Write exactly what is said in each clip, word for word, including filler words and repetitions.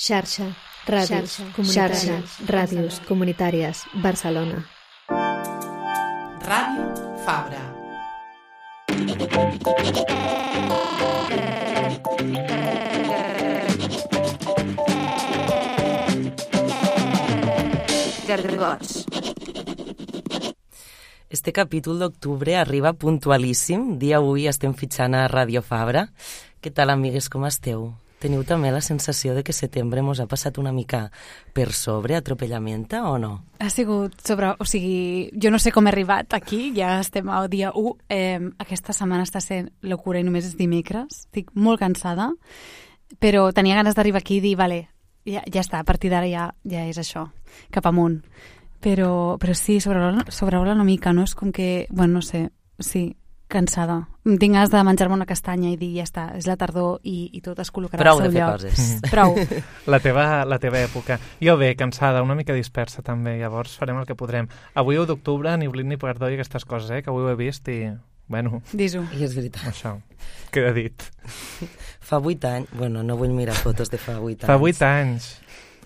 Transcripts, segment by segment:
Xarxa, ràdios, xarxa, ràdios comunitàries, Barcelona. Ràdio Fabra. Gargots. Este capítol d'octubre arriba puntualíssim. Dia avui estem fitxant a Ràdio Fabra. Què tal, amigues, com esteu? Teniu també la sensació de que setembre mos ha passat una mica per sobre, atropellamenta, o no? Ha sigut sobre... O sigui, jo no sé com he arribat aquí, ja estem al dia u. Eh, aquesta setmana està sent locura i només és dimecres. Estic molt cansada, però tenia ganes d'arribar aquí i dir, vale, ja, ja està, a partir d'ara ja, ja és això, cap amunt. Però, però sí, sobrevola, sobrevola una mica, no? És com que, bueno, no sé, sí, cansada. Tinc ganes de menjar-me una castanya i dir, ja està, és la tardor i, i tot es col·locarà Prou al seu de fer lloc. coses. Prou. La teva, la teva època. Jo bé, cansada, una mica dispersa també, llavors farem el que podrem. Avui u d'octubre, ni oblit ni perdó i aquestes coses, eh, que avui ho he vist i, bueno... Dis-ho. I és veritat. Això, queda dit. Fa vuit anys... Bueno, no vull mirar fotos de fa vuit anys. Fa vuit anys.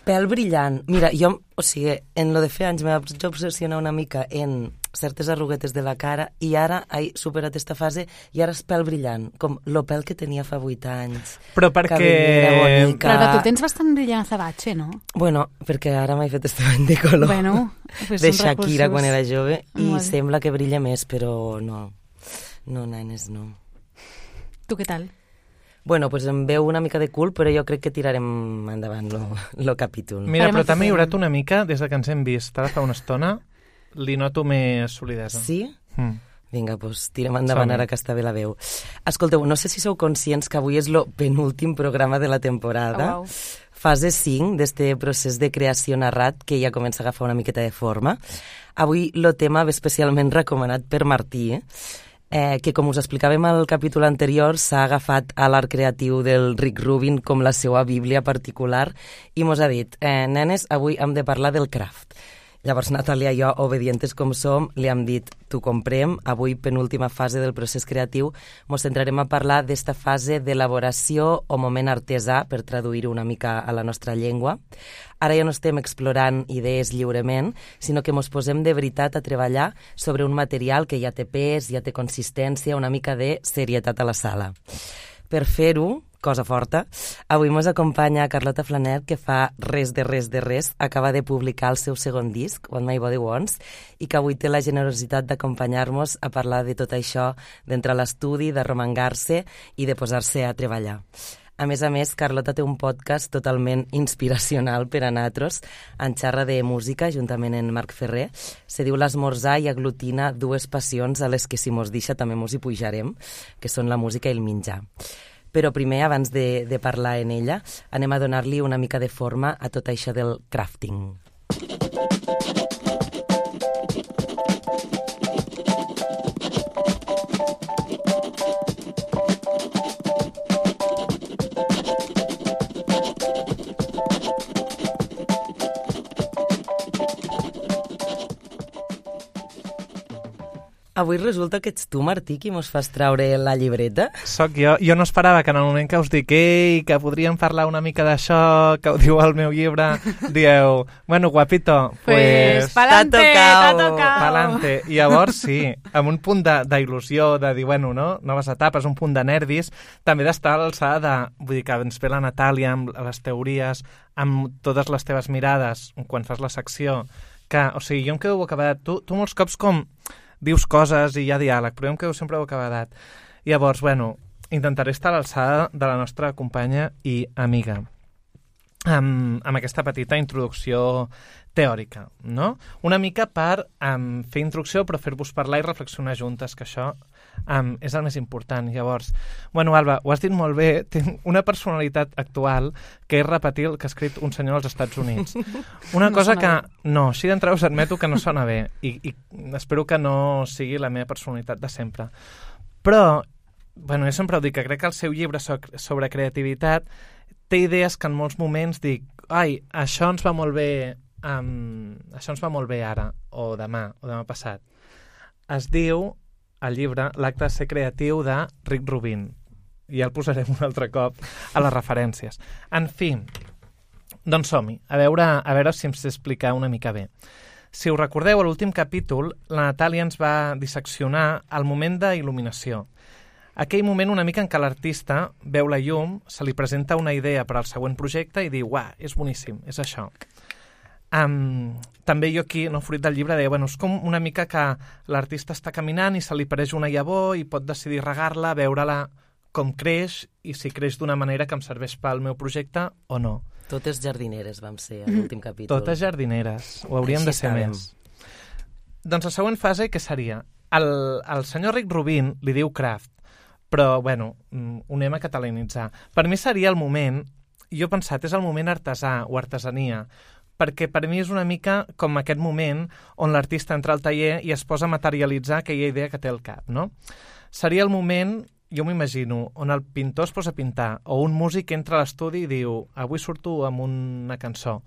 Pèl brillant. Mira, jo, o sigui, en lo de fer anys m'he obsessionat una mica en certes arruguetes de la cara i ara he superat aquesta fase i ara és pèl brillant, com lo pèl que tenia fa vuit anys. Però perquè... Bonica. Però Alba, tu tens bastant brillant azabatxe, no? Bueno, perquè ara m'he fet este bany de color Bueno, pues de són Shakira recursos. quan era jove i Molt bé. sembla que brilla més, però no. No, nenes, no. Tu què tal? Bueno, pues em veu una mica de cul, però jo crec que tirarem endavant lo, lo capítol. Mira, Farem però el que t'ha millorat podem. una mica des de que ens hem vist. Ara fa una estona li noto més solidesa. Sí? Mm. Vinga, doncs tirem endavant Som-hi. ara que està bé la veu. Escolteu, no sé si sou conscients que avui és el penúltim programa de la temporada. Oh, wow. Fase cinc d'este procés de creació narrat que ja comença a agafar una miqueta de forma. Avui el tema ve especialment recomanat per Martí, eh? Eh, que com us explicàvem al capítol anterior s'ha agafat a l'art creatiu del Rick Rubin com la seva bíblia particular i mos ha dit, eh, nenes, avui hem de parlar del craft. Llavors Natàlia i jo, obedientes com som, li hem dit, t'ho comprem, avui penúltima fase del procés creatiu, mos centrarem a parlar d'esta fase d'elaboració o moment artesà, per traduir-ho una mica a la nostra llengua. Ara ja no estem explorant idees lliurement, sinó que mos posem de veritat a treballar sobre un material que ja té pes, ja té consistència, una mica de serietat a la sala. Per fer-ho, cosa forta, avui mos acompanya Carlota Flaner, que fa res de res de res, acaba de publicar el seu segon disc, What My Body Wants, i que avui té la generositat d'acompanyar-nos a parlar de tot això, d'entrar a l'estudi, d'arromangar-se i de posar-se a treballar. A més a més, Carlota té un podcast totalment inspiracional per a natros, en xarra de música, juntament amb Marc Ferrer. Se diu L'Esmorzar i aglutina dues passions a les que, si mos deixa, també mos hi pujarem, que són la música i el menjar. Però primer, abans de, de parlar en ella, anem a donar-li una mica de forma a tot això del crafting. Avui resulta que ets tu, Martí, qui mos fas traure la llibreta. Soc jo. Jo no esperava que en el moment que us dic ei, que podríem parlar una mica d'això, que ho diu el meu llibre, dieu, bueno, guapito, Pues, pues... pa'lante, t'ha t'ha tocao. tocao. Pa'lante. I llavors, sí, amb un punt de- d'il·lusió, de, de dir, bueno, no? Noves etapes, un punt de nervis, també d'estar a l'alçada de... Vull dir que ens ve la Natàlia amb les teories, amb totes les teves mirades, quan fas la secció, que, o sigui, jo em quedo bocabadat. Tu, tu molts cops com dius coses i hi ha diàleg, però jo em quedo sempre bocabadat. Llavors, bueno, intentaré estar a l'alçada de la nostra companya i amiga amb, amb aquesta petita introducció teòrica, no? Una mica per um, fer introducció, però fer-vos parlar i reflexionar juntes, que això um, és el més important. Llavors, bueno, Alba, ho has dit molt bé, tinc una personalitat actual que és repetir el que ha escrit un senyor als Estats Units. Una No cosa sona que, no, així d'entrada us admeto que no sona bé i, i espero que no sigui la meva personalitat de sempre. Però, bueno, jo sempre ho dic, que crec que el seu llibre sobre creativitat té idees que en molts moments dic, ai, això ens va molt bé, um, això ens va molt bé ara, o demà, o demà passat. Es diu, el llibre, L'acte de ser creatiu de Rick Rubin. I ja el posarem un altre cop a les referències. En fi, doncs som-hi, a veure, a veure si em sé explicar una mica bé. Si us recordeu, a l'últim capítol, la Natàlia ens va disseccionar el moment d'il·luminació. Aquell moment una mica en què l'artista veu la llum, se li presenta una idea per al següent projecte i diu, uah, és boníssim, és això. Um, també jo aquí, no, fruit del llibre, deia, bueno, és com una mica que l'artista està caminant i se li apareix una llavor i pot decidir regar-la, veure-la com creix i si creix d'una manera que em serveix pel meu projecte o no. Totes jardineres vam ser a l'últim capítol. Totes jardineres, ho hauríem Així de ser estàvem. més. Doncs la següent fase, què seria? El, el senyor Rick Rubin li diu craft, però, bueno, ho anem a catalanitzar. Per mi seria el moment, jo he pensat, és el moment artesà o artesania, perquè per mi és una mica com aquest moment on l'artista entra al taller i es posa a materialitzar aquella idea que té al cap, no? Seria el moment, jo m'imagino, on el pintor es posa a pintar, o un músic entra a l'estudi i diu, avui surto amb una cançó,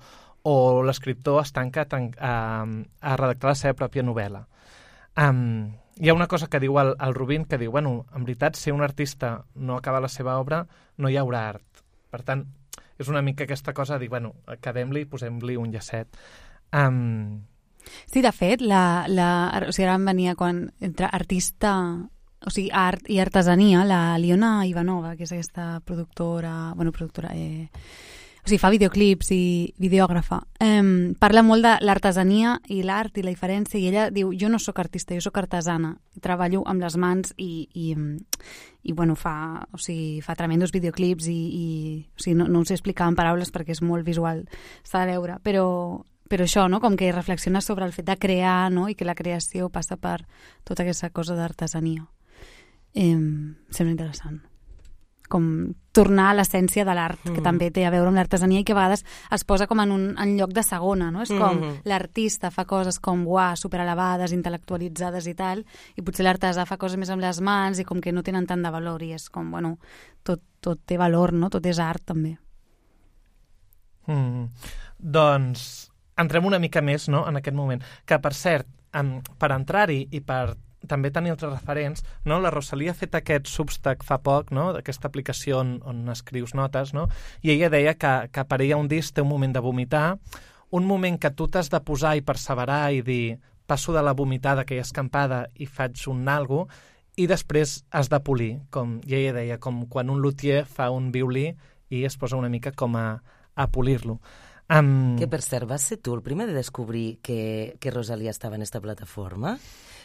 o l'escriptor es tanca a, a redactar la seva pròpia novel·la. Um, hi ha una cosa que diu el, el Rubin, que diu, bueno, en veritat, si un artista no acaba la seva obra, no hi haurà art. Per tant, és una mica aquesta cosa de dir, bueno, acabem-li i posem-li un llacet. Um... Sí, de fet, la, la, o sigui, ara em venia quan entre artista, o sigui, art i artesania, la Liona Ivanova, que és aquesta productora, bueno, productora, eh, o sigui, fa videoclips i videògrafa, eh, parla molt de l'artesania i l'art i la diferència, i ella diu, jo no sóc artista, jo sóc artesana, treballo amb les mans i, i, i bueno, fa, o sigui, fa tremendos videoclips i, i o sigui, no, no ho sé explicar en paraules perquè és molt visual, s'ha de veure, però, però això, no?, com que reflexiona sobre el fet de crear, no?, i que la creació passa per tota aquesta cosa d'artesania. Eh, sembla interessant. Com tornar a l'essència de l'art, mm. que també té a veure amb l'artesania i que a vegades es posa com en un en lloc de segona, no? És com mm. l'artista fa coses com, uah, superelevades, intel·lectualitzades i tal, i potser l'artesà fa coses més amb les mans i com que no tenen tant de valor, i és com, bueno, tot, tot té valor, no? Tot és art, també. Mm. Doncs entrem una mica més, no?, en aquest moment. Que, per cert, um, per entrar-hi i per també tenir altres referents, no? La Rosalia ha fet aquest Substack fa poc, no?, d'aquesta aplicació on, on escrius notes, no?, i ella deia que, que per ella un disc té un moment de vomitar, un moment que tu t'has de posar i perseverar i dir, passo de la vomitada, aquella escampada, i faig un algo, i després has de polir, com i ella deia, com quan un luthier fa un violí i es posa una mica com a, a polir-lo. Um... Que, per cert, vas ser tu el primer de descobrir que, que Rosalia estava en esta plataforma?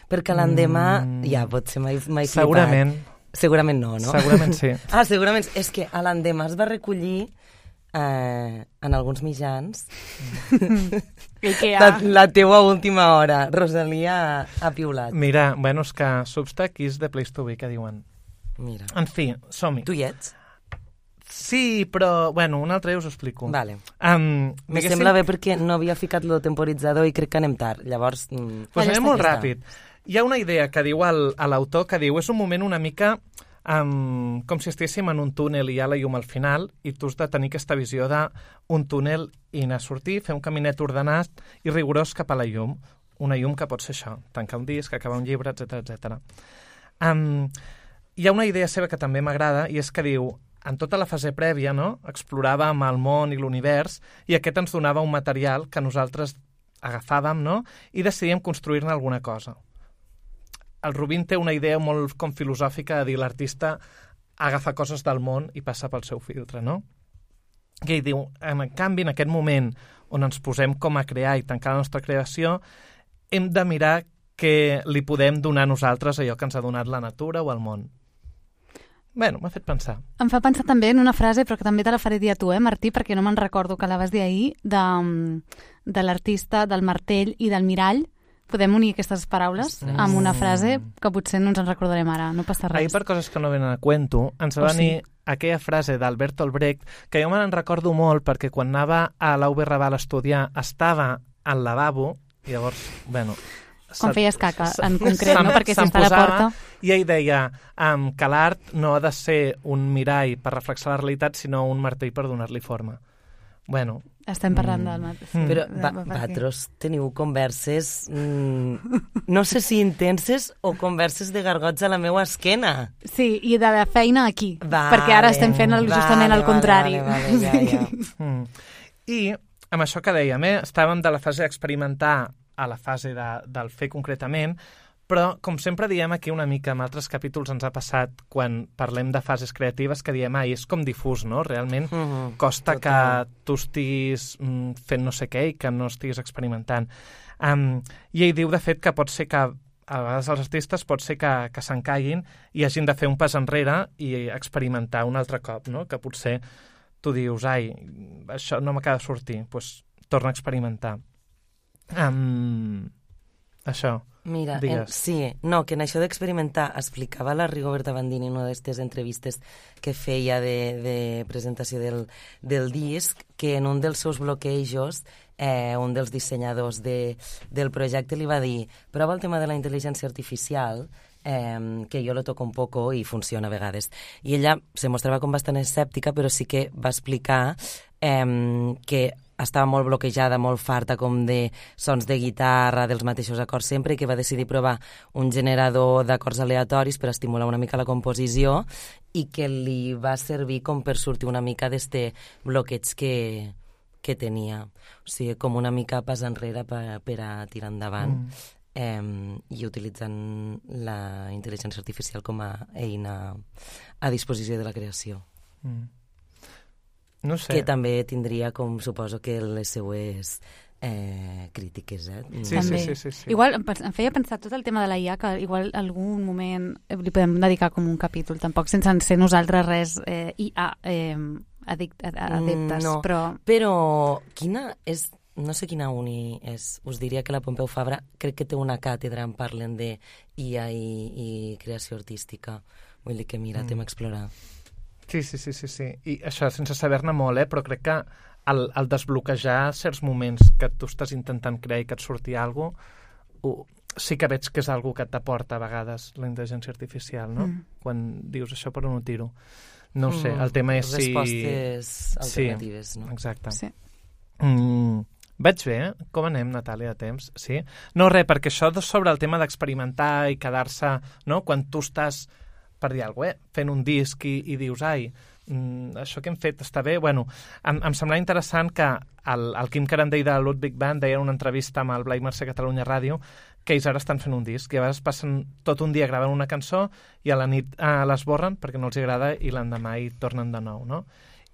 Perquè l'endemà, mm, ja, potser m'he flipat. Segurament. Segurament no, no? Segurament sí. Ah, segurament. És que a l'endemà es va recollir eh, en alguns mitjans la, la teua última hora. Rosalia ha piulat. Mira, bueno, és que Substack is the place to be, que diuen. Mira. En fi, som-hi. Tu hi ets? Sí, però, bueno, un altre dia us ho explico. Vale. Um, Me diguéssim... sembla bé perquè no havia ficat el temporitzador i crec que anem tard. Llavors... Mm, pues anem molt ràpid. Hi ha una idea que diu el, a l'autor, que diu, és un moment una mica um, com si estiguéssim en un túnel i hi ha la llum al final i tu has de tenir aquesta visió d'un túnel i anar a sortir, fer un caminet ordenat i rigorós cap a la llum. Una llum que pot ser això, tancar un disc, acabar un llibre, etcètera etcètera. Um, hi ha una idea seva que també m'agrada i és que diu, en tota la fase prèvia, no?, exploràvem el món i l'univers i aquest ens donava un material que nosaltres agafàvem, no?, i decidíem construir-ne alguna cosa. El Rubin té una idea molt com filosòfica de dir l'artista agafa coses del món i passa pel seu filtre, no? I ell diu, en canvi, en aquest moment on ens posem com a crear i tancar la nostra creació, hem de mirar què li podem donar a nosaltres allò que ens ha donat la natura o el món. Bueno, m'ha fet pensar. Em fa pensar també en una frase, però que també te la faré dir a tu, eh, Martí, perquè no me'n recordo que la vas dir ahir, de, de l'artista, del martell i del mirall. Podem unir aquestes paraules mm. amb una frase que potser no ens en recordarem ara, no passa res. Ahir, per coses que no venen a cuento, ens va oh, venir sí. aquella frase d'Albert Olbrecht, que jo me n'en recordo molt perquè quan anava a la U B Raval a estudiar estava al lavabo, i llavors, bueno... Quan feies caca, en concret, no? Perquè si està a la porta... I ell deia um, que l'art no ha de ser un mirall per reflexar la realitat, sinó un martell per donar-li forma. Bueno... Estem parlant del mat. Sí, però va, vosaltres teniu converses, mm, no sé si intenses o converses de gargots a la meva esquena. Sí, i de la feina aquí, vale, perquè ara estem fent el, justament vale, el contrari. Vale, vale, ja, ja. mm. I amb això que dèiem, eh, estàvem de la fase d'experimentar a la fase de, del fer concretament, però, com sempre diem aquí una mica, en altres capítols ens ha passat quan parlem de fases creatives que diem, ai, és com difús, no? Realment mm-hmm. costa Total. que tu estiguis mm, fent no sé què i que no estiguis experimentant. Um, I ell diu, de fet, que pot ser que a vegades els artistes pot ser que, que s'encaiguin i hagin de fer un pas enrere i experimentar un altre cop, no? Que potser tu dius, ai, això no m'acaba de sortir, doncs torna a experimentar. Um, això. Mira, en, sí, no, que en això d'experimentar explicava la Rigoberta Bandini en una d'aquestes entrevistes que feia de, de presentació del, del disc, que en un dels seus bloquejos eh, un dels dissenyadors de, del projecte li va dir, prova el tema de la intel·ligència artificial, eh, que jo lo toco un poco i funciona a vegades. I ella se mostrava com bastant escèptica, però sí que va explicar eh, que estava molt bloquejada, molt farta com de sons de guitarra, dels mateixos acords sempre, i que va decidir provar un generador d'acords aleatoris per estimular una mica la composició i que li va servir com per sortir una mica d'este bloqueig que, que tenia. O sigui, com una mica pas enrere per, per a tirar endavant mm. eh, i utilitzant la intel·ligència artificial com a eina a disposició de la creació. Mm. No sé. Que també tindria, com suposo, que les seues eh, crítiques, eh? Sí, sí, sí, sí, sí. Igual em, em feia pensar tot el tema de la I A, que igual algun moment li podem dedicar com un capítol, tampoc sense ser nosaltres res eh, I A eh, adict, adeptes, no, però... Però quina és... No sé quina uni és. Us diria que la Pompeu Fabra crec que té una càtedra en parlen de I A i, i creació artística. Vull dir que mira, mm. tema a explorar. Sí, sí, sí, sí, sí. I això, sense saber-ne molt, eh? Però crec que el, el desbloquejar certs moments que tu estàs intentant crear i que et surti alguna cosa, sí que veig que és alguna que t'aporta a vegades la intel·ligència artificial, no? Mm. Quan dius això per on ho tiro. No ho sé, el tema és si... Respostes alternatives, sí, no? Exacte. Sí. Mm, vaig bé, eh? Com anem, Natàlia, de temps? Sí? No, res, perquè això sobre el tema d'experimentar i quedar-se, no? Quan tu estàs... per dir alguna cosa, eh? Fent un disc i, i dius, ai, mm, això que hem fet està bé. Bueno, em, em semblava interessant que el, el Quim Carandell de Ludwig Band deia en una entrevista amb el Blai Mercè Catalunya Ràdio que ells ara estan fent un disc i a vegades passen tot un dia gravant una cançó i a la nit eh, l'esborren perquè no els agrada i l'endemà hi tornen de nou, no?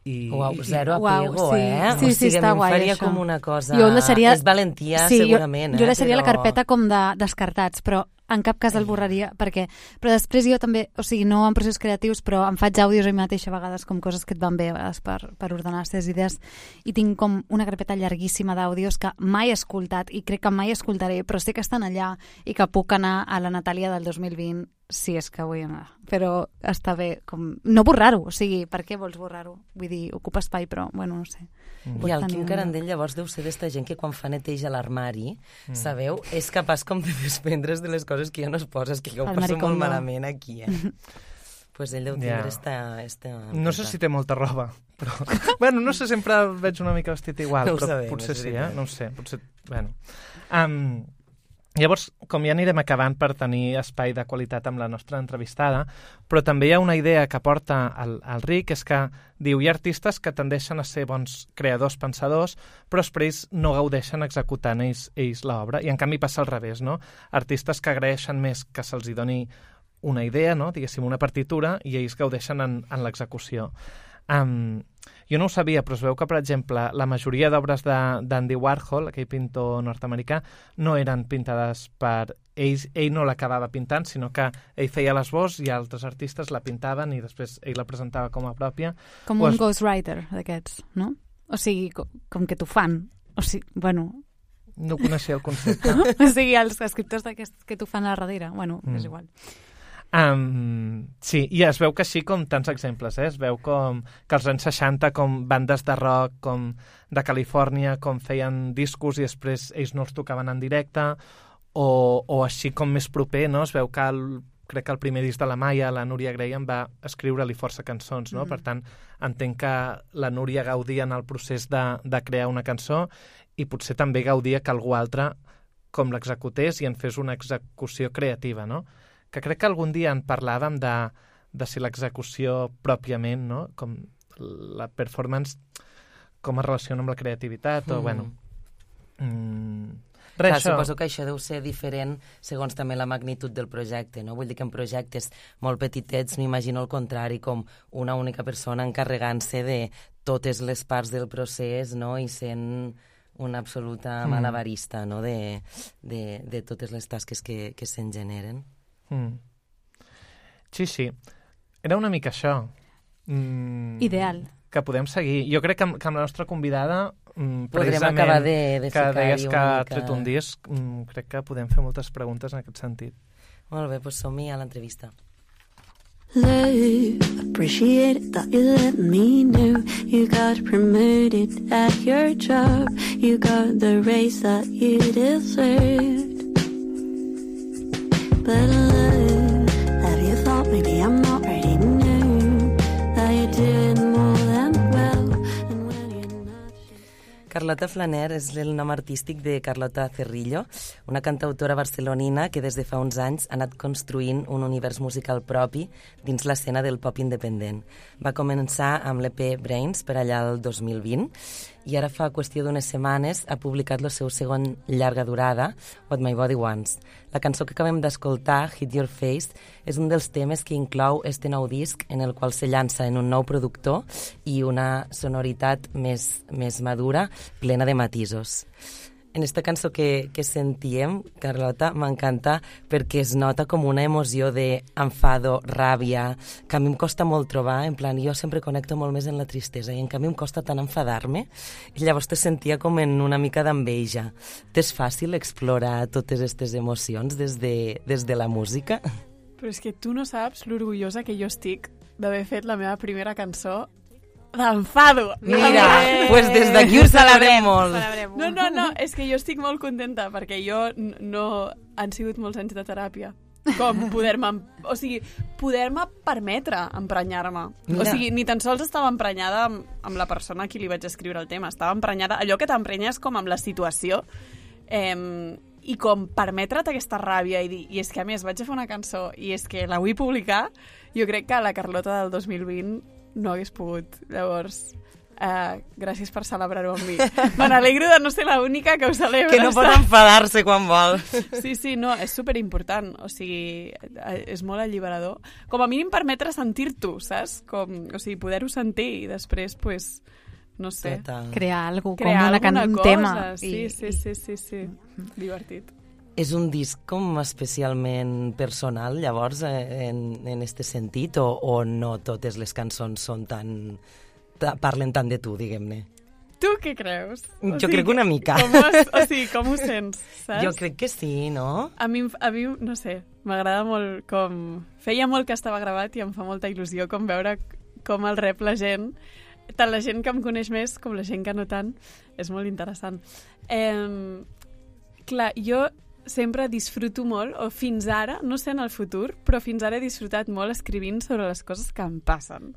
I, Uau, i, zero apego, uau, sí. eh? Sí, sí, o sigui, està a mi em guai, faria això. com una cosa... Jo deixaria... És valentia, sí, segurament, jo, eh? Jo deixaria però... la carpeta com de descartats, però en cap cas el borraria, perquè... Però després jo també, o sigui, no en processos creatius, però em faig àudios a mi mateixa a vegades com coses que et van bé a vegades per, per ordenar les teves idees, i tinc com una carpeta llarguíssima d'àudios que mai he escoltat i crec que mai escoltaré, però sé que estan allà i que puc anar a la Natàlia del dos mil vint si és que vull anar. Però està bé, com... No borrar-ho, o sigui, per què vols borrar-ho? Vull dir, ocupa espai, però, bueno, no sé. Mm. I el Quim Carandell llavors deu ser d'esta gent que quan fa neteja a l'armari, mm. sabeu, és capaç com de desprendre's de les coses que ja no es poses, que jo ho passo molt malament aquí, eh? Pues ell deu tindre yeah. esta, esta... No sé si té molta roba, però... bueno, no sé, sempre veig una mica vestit igual, no però sabem, potser sí, eh? No ho sé, potser... Bueno... Um, Llavors, com ja anirem acabant per tenir espai de qualitat amb la nostra entrevistada, però també hi ha una idea que porta el, el Ric, és que diu, hi ha artistes que tendeixen a ser bons creadors, pensadors, però després no gaudeixen executant ells, ells l'obra, i en canvi passa al revés, no? Artistes que agraeixen més que se'ls doni una idea, no? Diguéssim, una partitura, i ells gaudeixen en, en l'execució. Um, jo no ho sabia, però es veu que, per exemple, la majoria d'obres d'Andy Warhol, aquell pintor nord-americà, no eren pintades per ells, ell no l'acabava pintant, sinó que ell feia l'esbós i altres artistes la pintaven i després ell la presentava com a pròpia. Com un es... ghostwriter d'aquests, no? O sigui, com, com que t'ho fan. O sigui, bueno... No coneixia el concepte. O sigui, els escriptors d'aquests que t'ho fan a darrere. Bueno, mm. és igual. Um, sí, i es veu que així com tants exemples, eh? Es veu com que als anys seixanta com bandes de rock com de Califòrnia com feien discos i després ells no els tocaven en directe o, o així com més proper, no? Es veu que el, crec que el primer disc de la Maia, la Núria Graham, va escriure-li força cançons, no? Mm. Per tant, entenc que la Núria gaudia en el procés de, de crear una cançó i potser també gaudia que algú altre com l'executés i en fes una execució creativa, no? Que crec que algun dia en parlàvem de, de si l'execució pròpiament, no? Com la performance, com es relaciona amb la creativitat, o, Mm. bueno... Mm, res, Clar, això. suposo que això deu ser diferent segons també la magnitud del projecte, no? Vull dir que en projectes molt petitets m'imagino el contrari, com una única persona encarregant-se de totes les parts del procés, no? I sent una absoluta Mm. malabarista, no? De, de, de totes les tasques que, que se'n generen. Mm. Sí, sí. Era una mica això. Mm, Ideal. Que podem seguir. Jo crec que amb, que amb la nostra convidada, mm, Podrem precisament, acabar de, de que ficar-hi deies que una ha mica... tret un disc, mm, crec que podem fer moltes preguntes en aquest sentit. Molt bé, doncs som-hi a l'entrevista. Love, appreciate it that you let me know. You got promoted at your job. You got the raise that you deserved. But love, have you thought maybe I'm not ready to know that you're doing more than well? And when you're not sure... Carlota Flaner és el nom artístic de Carlota Cerrillo, una cantautora barcelonina que des de fa uns anys ha anat construint un univers musical propi dins l'escena del pop independent. Va començar amb l'E P Brains per allà el dos mil vint i ara fa qüestió d'unes setmanes ha publicat el seu segon llarga durada, What My Body Wants. La cançó que acabem d'escoltar, Hit Your Face, és un dels temes que inclou este nou disc en el qual se llança en un nou productor i una sonoritat més, més madura, plena de matisos. En esta cançó que, que sentíem, Carlota, m'encanta perquè es nota com una emoció d'enfado, ràbia, que a mi em costa molt trobar, en plan, jo sempre connecto molt més en la tristesa i en canvi em costa tant enfadar-me, i llavors te sentia com en una mica d'enveja. T'és fàcil explorar totes aquestes emocions des de, des de la música? Però és que tu no saps l'orgullosa que jo estic d'haver fet la meva primera cançó d'enfado. Mira, doncs pues des d'aquí ho celebrem molt. No, no, no, és que jo estic molt contenta perquè jo n- no... Han sigut molts anys de teràpia. Com poder-me... O sigui, poder-me permetre emprenyar-me. O Mira. sigui, ni tan sols estava emprenyada amb, amb la persona a qui li vaig escriure el tema. Estava emprenyada... Allò que t'emprenyes com amb la situació. Eh, I com permetre't aquesta ràbia i dir, i és que a més vaig a fer una cançó i és que la vull publicar, jo crec que la Carlota del dos mil vint no hagués pogut. Llavors, uh, gràcies per celebrar-ho amb mi. Me n'alegro de no ser l'única que ho celebra. Que no pot enfadar-se quan vol. Sí, sí, no, és superimportant. O sigui, és molt alliberador. Com a mínim permetre sentir-t'ho, saps? Com, o sigui, poder-ho sentir i després, pues, no sé, Total. Crear alguna cosa, crear com una can... alguna un cosa. tema. Sí, I- sí, sí, sí, sí. Divertit. És un disc com especialment personal, llavors, eh, en, en este sentit, o, o no totes les cançons són tan... Ta, parlen tant de tu, diguem-ne? Tu què creus? O Jo crec que una mica. Com ho, o sigui, com ho sents, saps? Jo crec que sí, no? A mi, a mi no sé, m'agrada molt com... Feia molt que estava gravat i em fa molta il·lusió com veure com el rep la gent, tant la gent que em coneix més com la gent que no tant. És molt interessant. Eh, clar, jo sempre disfruto molt, o fins ara, no sé en el futur, però fins ara he disfrutat molt escrivint sobre les coses que em passen.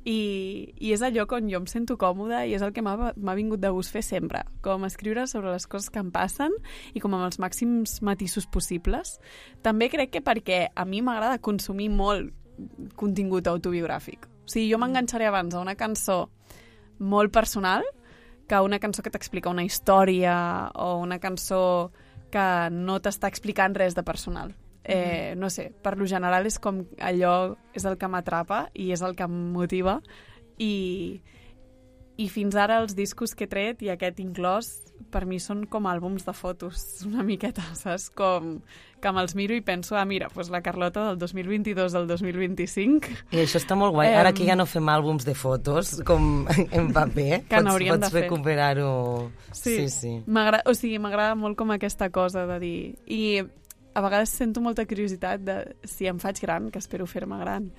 I, i és allò on jo em sento còmoda i és el que m'ha m'ha vingut de gust fer sempre, com escriure sobre les coses que em passen i com amb els màxims matisos possibles. També crec que perquè a mi m'agrada consumir molt contingut autobiogràfic. O sigui, jo m'enganxaré abans a una cançó molt personal que una cançó que t'explica una història o una cançó que no t'està explicant res de personal. Eh, no sé, per lo general és com allò és el que m'atrapa i és el que em motiva i, i fins ara els discos que he tret i aquest inclòs per mi són com àlbums de fotos una miqueta, saps? Com que me'ls miro i penso, ah mira, doncs la Carlota del dos mil vint-i-dos al dos mil vint-i-cinc I això està molt guai. Em, Ara que ja no fem àlbums de fotos, com en paper, Que pots, n'hauríem pots de fer. recuperar-ho. Sí, sí. sí. M'agrada, o sigui, m'agrada molt com aquesta cosa de dir... I a vegades sento molta curiositat de si em faig gran, que espero fer-me gran,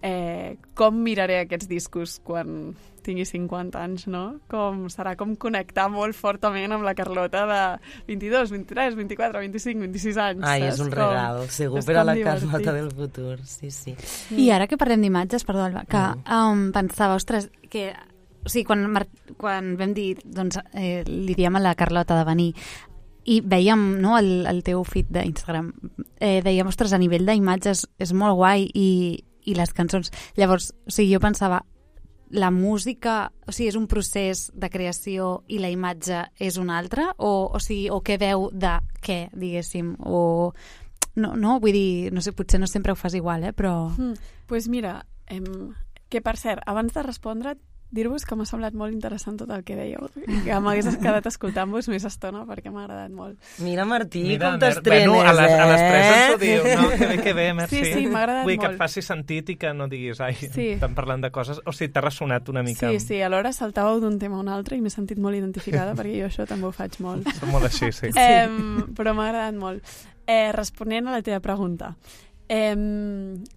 eh, com miraré aquests discos quan tingui cinquanta anys, no? Com serà com connectar molt fortament amb la Carlota de vint-i-dos, vint-i-tres, vint-i-quatre, vint-i-cinc, vint-i-sis anys. Ai, saps? és un Com- regal, segur, és per a com la divertit. Carlota del futur. Sí, sí. I ara que parlem d'imatges, perdó, Alba, que Mm. um, pensava, ostres, que o sigui, quan, Mar- quan vam dir, doncs, eh, li diem a la Carlota de venir i veiem, no, el, el teu feed d'Instagram, eh, dèiem, ostres, a nivell d'imatges és molt guai i, i les cançons. Llavors, o sigui, jo pensava, la música, o sigui, és un procés de creació i la imatge és un altre? O, o sigui, o què veu de què, diguéssim? O... No, no, vull dir, no sé, potser no sempre ho fas igual, eh, però... Doncs mm, pues mira, em, que per cert, abans de respondre, dir-vos que m'ha semblat molt interessant tot el que dèieu, que m'hagués quedat escoltant-vos més estona perquè m'ha agradat molt. Mira, Martí, Mira, com t'estrenes, bueno, a les, eh? A les tres ens ho diu, no? Que bé, que bé, merci. Sí, sí, m'ha agradat Vull que molt. et faci sentit i que no diguis, ai, Sí. estan parlant de coses... O sigui, t'ha ressonat una mica. Sí, sí, alhora saltàveu d'un tema a un altre i m'he sentit molt identificada perquè jo això també ho faig molt. Som molt així, sí. Eh, però m'ha agradat molt. Eh, responent a la teva pregunta, eh,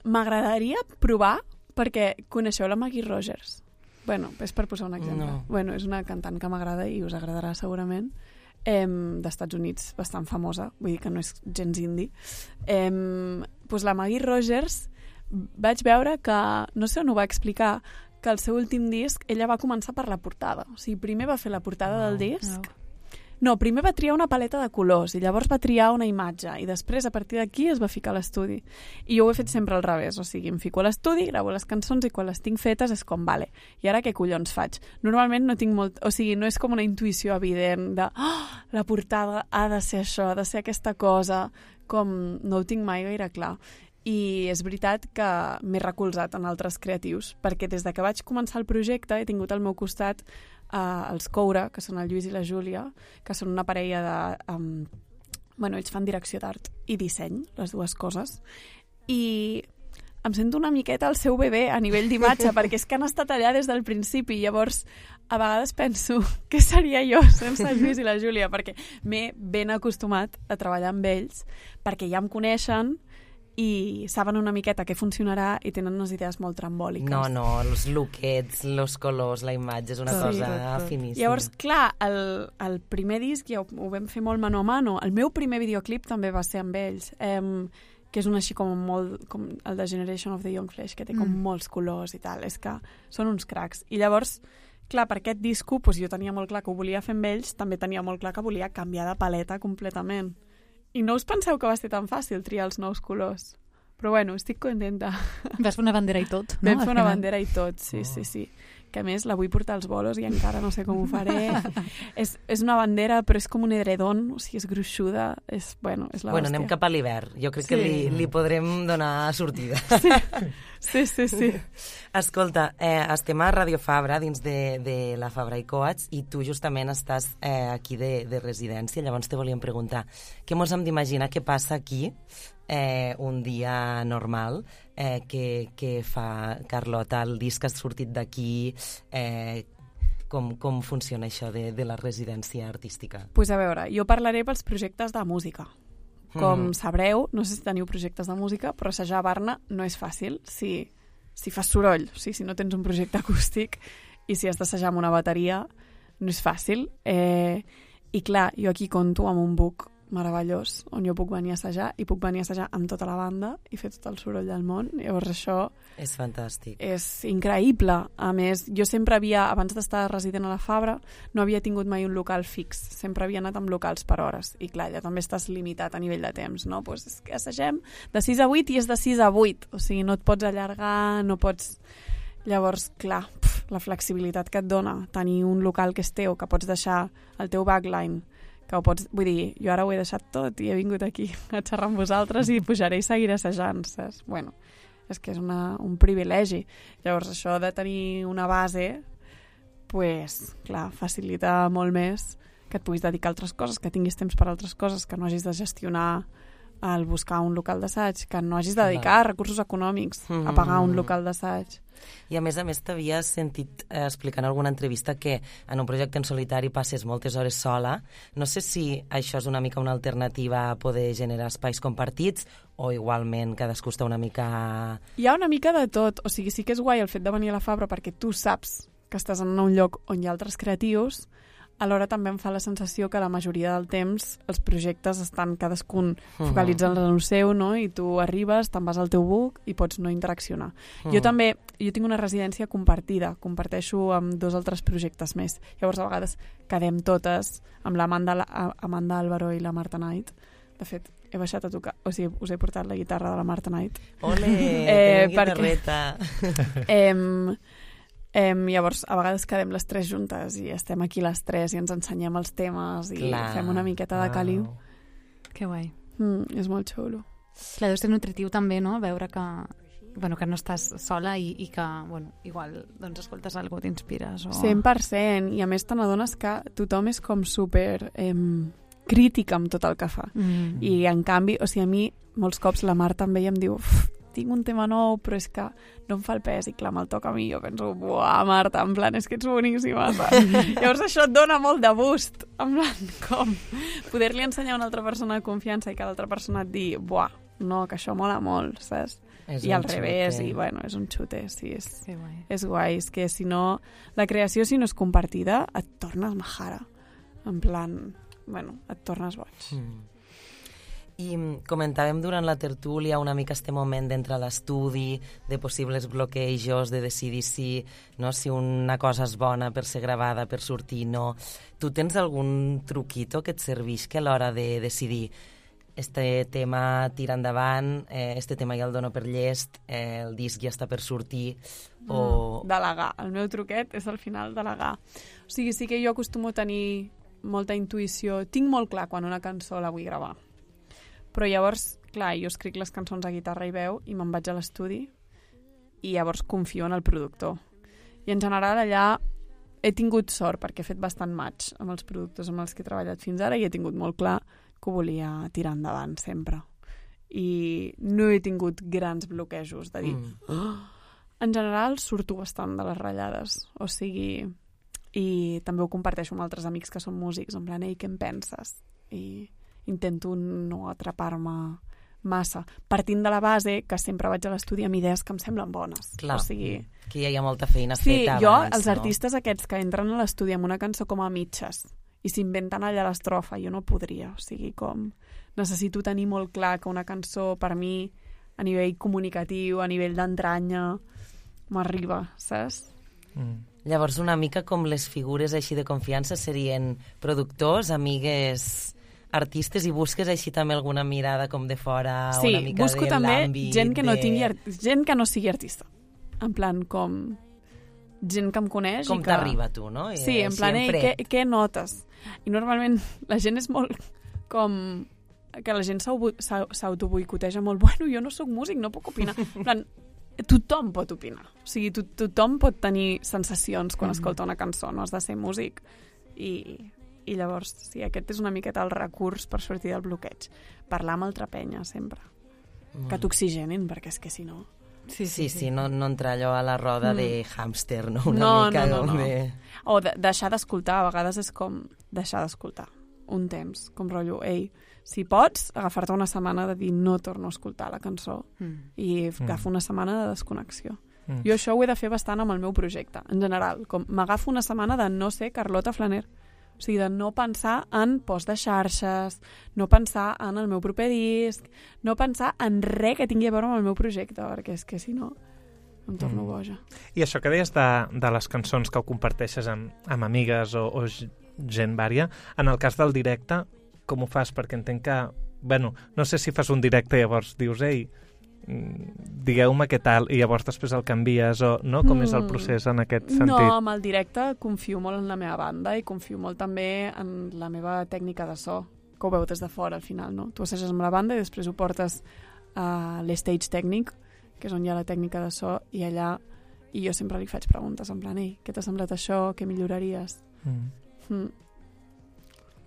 m'agradaria provar, perquè coneixeu la Maggie Rogers? Bueno, és per posar un exemple. No. Bueno, és una cantant que m'agrada i us agradarà segurament, eh, d'Estats Units, bastant famosa, vull dir que no és gens indie. Eh, doncs la Maggie Rogers vaig veure que, no sé on ho va explicar, que el seu últim disc ella va començar per la portada. O sigui, primer va fer la portada No. del disc, No. no, primer va triar una paleta de colors i llavors va triar una imatge i després a partir d'aquí es va ficar a l'estudi. I jo ho he fet sempre al revés, o sigui, em fico a l'estudi, gravo les cançons i quan les tinc fetes és com, vale, i ara què collons faig? Normalment no tinc molt... O sigui, no és com una intuïció evident de oh, la portada ha de ser això, ha de ser aquesta cosa, com no ho tinc mai gaire clar. I és veritat que m'he recolzat en altres creatius, perquè des de que vaig començar el projecte he tingut al meu costat Uh, els Coura, que són el Lluís i la Júlia, que són una parella de... Um, bueno, ells fan direcció d'art i disseny, les dues coses, i em sento una miqueta el seu bebè a nivell d'imatge, perquè és que han estat allà des del principi, llavors a vegades penso què seria jo sense el Lluís i la Júlia, perquè m'he ben acostumat a treballar amb ells, perquè ja em coneixen i saben una miqueta què funcionarà i tenen unes idees molt trambòliques. No, no, els lookets, els colors, la imatge, és una Sí, cosa tot, tot. finíssima. Llavors, clar, el, el primer disc ja ho, ho vam fer molt mano a mano. El meu primer videoclip també va ser amb ells, eh, que és un així com molt... com el de Generation of the Young Flesh, que té com Mm. molts colors i tal. És que són uns cracs. I llavors, clar, per aquest disco doncs jo tenia molt clar que ho volia fer amb ells, també tenia molt clar que volia canviar de paleta completament. I no us penseu que va ser tan fàcil triar els nous colors. Però bueno, estic contenta. Vas fer una bandera i tot, no? Vam Al fer una final. bandera i tot, sí, sí, sí. Que a més la vull portar als bolos i encara no sé com ho faré. és, és una bandera, però és com un edredon, o sigui, és gruixuda, és, bueno, és la Bueno, hòstia. anem cap a l'hivern. Jo crec Sí. que li, li podrem donar sortida. Sí, sí, sí. Escolta, eh, estem a Radio Fabra, dins de, de la Fabra i Coats, i tu justament estàs eh, aquí de, de residència. Llavors te volíem preguntar, què mos hem d'imaginar que passa aquí eh, un dia normal, eh, que, que fa Carlota, el disc que ha sortit d'aquí, eh, com, com funciona això de, de la residència artística? Pues a veure, jo parlaré pels projectes de música. Com Mhm. sabreu, no sé si teniu projectes de música, però assajar a Barna no és fàcil si, si fas soroll, o sigui, si no tens un projecte acústic i si has d'assajar amb una bateria, no és fàcil. Eh, I clar, jo aquí conto amb un book meravellós on jo puc venir a assajar i puc venir a assajar amb tota la banda i fer tot el soroll del món. Llavors això És fantàstic. és increïble. A més, jo sempre havia, abans d'estar resident a la Fabra, no havia tingut mai un local fix. Sempre havia anat amb locals per hores. I clar, ja també estàs limitat a nivell de temps, no? Pues és que assagem de sis a vuit i és de sis a vuit. O sigui, no et pots allargar, no pots... Llavors, clar, pf, la flexibilitat que et dona tenir un local que és teu, que pots deixar el teu backline, que ho pots... Vull dir, jo ara ho he deixat tot i he vingut aquí a xerrar amb vosaltres i pujaré i seguiré assajant, saps? Bueno, és que és una, un privilegi. Llavors, això de tenir una base, pues, clar, facilita molt més que et puguis dedicar a altres coses, que tinguis temps per a altres coses, que no hagis de gestionar el buscar un local d'assaig, que no hagis de dedicar recursos econòmics a pagar un local d'assaig. I a més a més t'havia sentit eh, explicant en alguna entrevista que en un projecte en solitari passes moltes hores sola. No sé si això és una mica una alternativa a poder generar espais compartits o igualment cadascú està una mica... Hi ha una mica de tot, o sigui, sí que és guai el fet de venir a la Fabra perquè tu saps que estàs en un lloc on hi ha altres creatius, alhora també em fa la sensació que la majoria del temps els projectes estan cadascun focalitzant en el seu, no? I tu arribes, te'n vas al teu book i pots no interaccionar. Mm. Jo també, jo tinc una residència compartida, comparteixo amb dos altres projectes més. Llavors a vegades quedem totes amb l'Amanda Amanda Álvaro i la Marta Knight. De fet, he baixat a tocar, o sigui, us he portat la guitarra de la Marta Knight. Ole, Eh, tenim perquè- guitarreta. Eh, Eh, llavors, a vegades quedem les tres juntes i estem aquí les tres i ens ensenyem els temes i Clar. fem una miqueta de caliu. Que guai. Mm, és molt xulo. Clar, deu ser nutritiu també, no?, veure que, bueno, que no estàs sola i, i que, bueno, igual, doncs, escoltes alguna cosa, t'inspires. O... cent per cent. I a més te n'adones que tothom és com super eh, crític amb tot el que fa. Mm. I en canvi, o sigui, a mi molts cops la Marta em veia i em diu tinc un tema nou, però és que no em fa el pes, i clar, me'l toca a mi, jo penso, buah, Marta, en plan, és que ets boníssima, saps? Llavors això et dona molt de boost, en plan, com poder-li ensenyar a una altra persona de confiança i que l'altra persona et digui, buah, no, que això mola molt, saps? És I un al revés, xute. i bueno, és un xute, sí, és, Que guai. és guai, és que si no, la creació si no és compartida, et tornes majara, en plan, bueno, et tornes boig. Mm. I comentàvem durant la tertúlia una mica este moment d'entrar a l'estudi, de possibles bloquejos, de decidir si, no, si una cosa és bona per ser gravada, per sortir, no. Tu tens algun truquito que et serveix que a l'hora de decidir este tema tira endavant, eh, este tema ja el dono per llest, eh, el disc ja està per sortir, o... Mm, delegar. El meu truquet és al final delegar. O sigui, sí que jo acostumo a tenir molta intuïció. Tinc molt clar quan una cançó la vull gravar. Però llavors, clar, jo escric les cançons a guitarra i veu i me'n vaig a l'estudi i llavors confio en el productor. I en general allà he tingut sort perquè he fet bastant match amb els productors amb els que he treballat fins ara i he tingut molt clar que ho volia tirar endavant sempre. I no he tingut grans bloquejos de dir... Mm. Oh! En general surto bastant de les ratllades. O sigui... I també ho comparteixo amb altres amics que són músics, en plan, ei, què en penses? I intento no atrapar-me massa, partint de la base que sempre vaig a l'estudi amb idees que em semblen bones. Clar, o sigui, que ja hi ha molta feina sí, feta jo, abans, els no? artistes aquests que entren a l'estudi amb una cançó com a mitges i s'inventen allà l'estrofa, jo no podria. O sigui, com necessito tenir molt clar que una cançó per mi a nivell comunicatiu, a nivell d'entranya, m'arriba, saps? Mm. Llavors, una mica com les figures així de confiança serien productors, amigues, artistes, i busques així també alguna mirada com de fora, sí, una mica busco de també l'àmbit gent que no de... tingui art... gent que no sigui artista. En plan, com gent que em coneix Com i que... t'arriba tu, no? I Sí, en així plan, ei, fred. què, què notes? I normalment la gent és molt com... que la gent s'autoboicoteja molt. Bueno, jo no sóc músic, no puc opinar. En plan, tothom pot opinar. O sigui, to tothom pot tenir sensacions quan escolta una cançó, no has de ser músic. I, i llavors, sí, aquest és una miqueta el recurs per sortir del bloqueig. Parlar amb altra penya, sempre. Mm. Que t'oxigenin, perquè és que si no... Sí, sí, sí, no, no entrar allò a la roda Mm. de hàmster, no? Una No, mica no, no, com no. de... O de deixar d'escoltar, a vegades és com deixar d'escoltar un temps, com rotllo, ei, si pots, agafar-te una setmana de dir no torno a escoltar la cançó Mm. i agafo una setmana de desconnexió. Mm. Jo això ho he de fer bastant amb el meu projecte, en general, com m'agafo una setmana de no ser Carlota Flaner, o sigui, de no pensar en post de xarxes, no pensar en el meu proper disc, no pensar en res que tingui a veure amb el meu projecte, perquè és que si no em torno Mm. boja. I això que deies de, de les cançons que ho comparteixes amb, amb amigues o, o gent vària, en el cas del directe, com ho fas? Perquè entenc que, bueno, no sé si fas un directe i llavors dius, ei, digueu-me què tal, i llavors després el canvies, o no? Com és el procés en aquest sentit? No, amb el directe confio molt en la meva banda i confio molt també en la meva tècnica de so, que ho veu des de fora al final, no? Tu assages amb la banda i després ho portes a l'stage tècnic, que és on hi ha la tècnica de so, i allà i jo sempre li faig preguntes en plan, ei, què t'ha semblat això, què milloraries? Mm. Mm.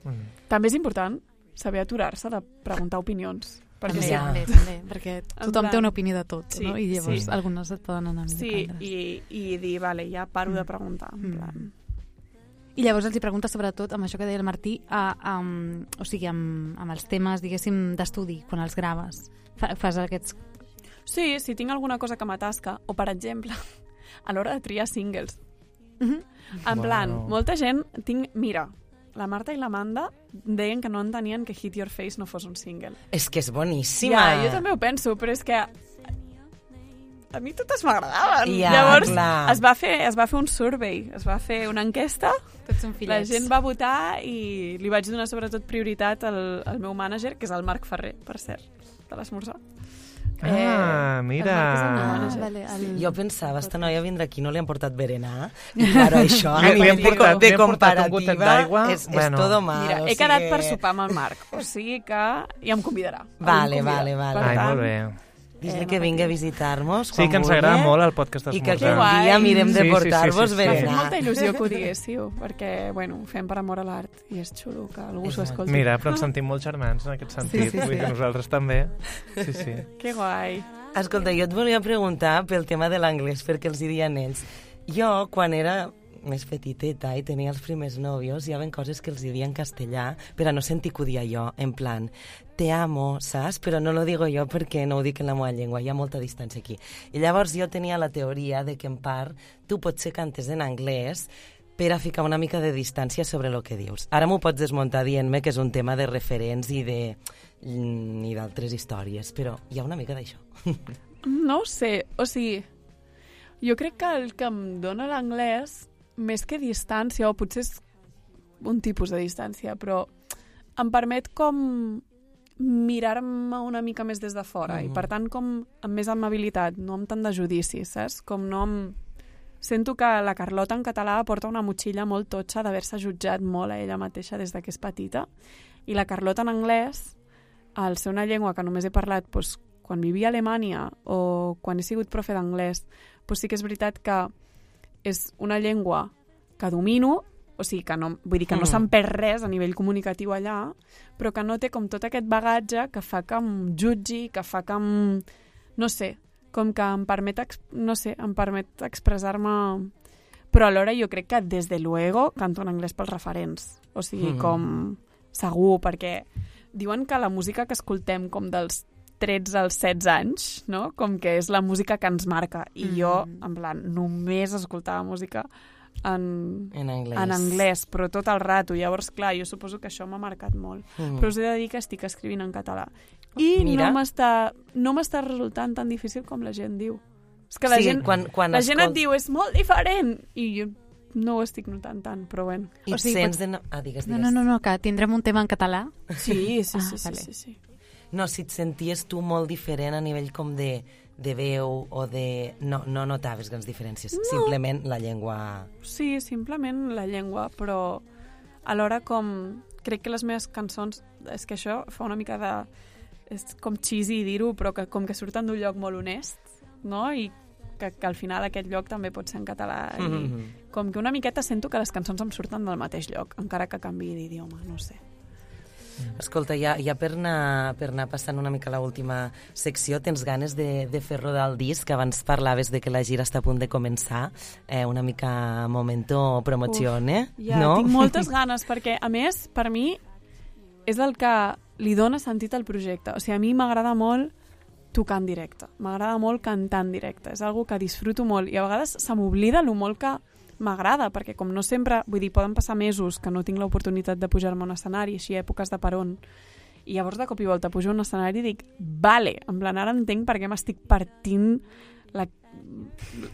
Mm. També és important saber aturar-se de preguntar opinions. Perquè També, sí, Ja. també, també, perquè En tothom plan- té una opinió de tot, Sí, no? I llavors sí. algunes et poden anar sí millor que i, i dir, vale, ja paro de preguntar. En Mm. plan, I llavors els hi preguntes sobretot amb això que deia el Martí, a, a, o sigui, amb, amb els temes, diguéssim, d'estudi, quan els graves. Fa, fas aquests... sí, si tinc alguna cosa que m'atasca, o per exemple, a l'hora de triar singles. Mhm. En plan, Wow. molta gent... Tinc, mira, la Marta i l'Amanda deien que no entenien que Hit Your Face no fos un single. És que és boníssima. Ja, jo també ho penso, però és que a mi totes m'agradaven. Ja, Llavors clar. es va, fer, es va fer un survey, es va fer una enquesta, Tots són la fillets. gent va votar i li vaig donar sobretot prioritat al, al meu mànager, que és el Marc Ferrer, per cert, de l'esmorzar. Ah, mira. Ah, vale, el... Jo pensava, esta noia vindrà aquí, no li han portat berenar, i claro, això a Li- li nivell han de, portat- de li han portat un gotet comparativa d'aigua, és, bueno. és todo mal. Mira, o he sigui... quedat per sopar amb el Marc, o sigui que ja em convidarà. Vale, Em convida. vale, vale. Per Ai, tant, molt bé. Dis-li Eh, que no vingui a patiu. visitar-nos Sí, quan que ens agrada vulgui, molt el podcast i que d'esmorzar. aquell dia mirem de Sí, sí, sí, portar-vos sí, sí. M'ha fet berenar. molta il·lusió que ho diguéssiu, perquè, bueno, ho fem per amor a l'art i és xulo que algú És s'ho molt- escolti. Mira, però ens sentim molt germans en aquest sentit. Sí, sí, Vull dir sí. que nosaltres també. Sí, sí. Que guai. Escolta, jo et volia preguntar pel tema de l'anglès, perquè els hi diuen ells. Jo, quan era més petiteta i tenia els primers nòvios, hi havia coses que els hi diuen en castellà per a no sentir que ho dia jo, en plan, te amo, saps? Però no lo digo jo perquè no ho dic en la meva llengua, hi ha molta distància aquí. I llavors jo tenia la teoria de que en part tu potser cantes en anglès per a ficar una mica de distància sobre el que dius. Ara m'ho pots desmuntar dient-me que és un tema de referents i de i d'altres històries, però hi ha una mica d'això. No ho sé, o sigui, jo crec que el que em dona l'anglès, més que distància, o potser és un tipus de distància, però em permet com mirar-me una mica més des de fora, Mhm. i per tant com amb més amabilitat, no amb tant de judici, saps? Com no amb... Sento que la Carlota en català porta una motxilla molt totxa d'haver-se jutjat molt a ella mateixa des de que és petita, i la Carlota en anglès, al ser una llengua que només he parlat doncs, quan vivia a Alemanya o quan he sigut profe d'anglès, doncs sí que és veritat que és una llengua que domino, o sigui, que no, vull dir que no Mm. se'n perd res a nivell comunicatiu allà, però que no té com tot aquest bagatge que fa que em jutgi, que fa que em... no sé, com que em permet, ex- no sé, em permet expressar-me... Però alhora jo crec que, des de luego, canto en anglès pels referents. O sigui, Mm. com segur, perquè diuen que la música que escoltem com dels tretze als setze anys, no? Com que és la música que ens marca. I jo, en plan, només escoltava música en, En anglès. en anglès, però tot el rato. Llavors, clar, jo suposo que això m'ha marcat molt. Mm. Però us he de dir que estic escrivint en català. I Mira. no m'està no m'està resultant tan difícil com la gent diu. És que la sí, gent, quan, quan la gent escol- et diu, és molt diferent, i jo no ho estic notant tant, però bueno. I O et sigui, sents pots- de... No... Ah, digues, No, digues. no, no, no, que tindrem un tema en català. Sí, sí, Ah, sí, sí, vale. sí, sí. No, si et senties tu molt diferent a nivell com de, de veu o de... No, no notaves grans diferències, No. simplement la llengua... Sí, simplement la llengua, però alhora com... Crec que les meves cançons... És que això fa una mica de... És com cheesy dir-ho, però que com que surten d'un lloc molt honest, no? I que, que al final aquest lloc també pot ser en català. I Mm. com que una miqueta sento que les cançons em surten del mateix lloc, encara que canviï d'idioma, no ho sé. Escolta, ja, ja per, anar, per anar passant una mica a l'última secció, tens ganes de, de fer rodar el disc? Abans parlaves de que la gira està a punt de començar, eh, una mica momento promozione, Ja, no? tinc moltes ganes, perquè, a més, per mi, és el que li dona sentit al projecte. O sigui, a mi m'agrada molt tocar en directe. M'agrada molt cantar en directe. És algo que disfruto molt. I a vegades se m'oblida lo molt que m'agrada, perquè com no sempre... Vull dir, poden passar mesos que no tinc l'oportunitat de pujar-me a un escenari, així èpoques de peron. I llavors, de cop i volta, pujo a un escenari i dic, vale, en plan, ara entenc per què m'estic partint la,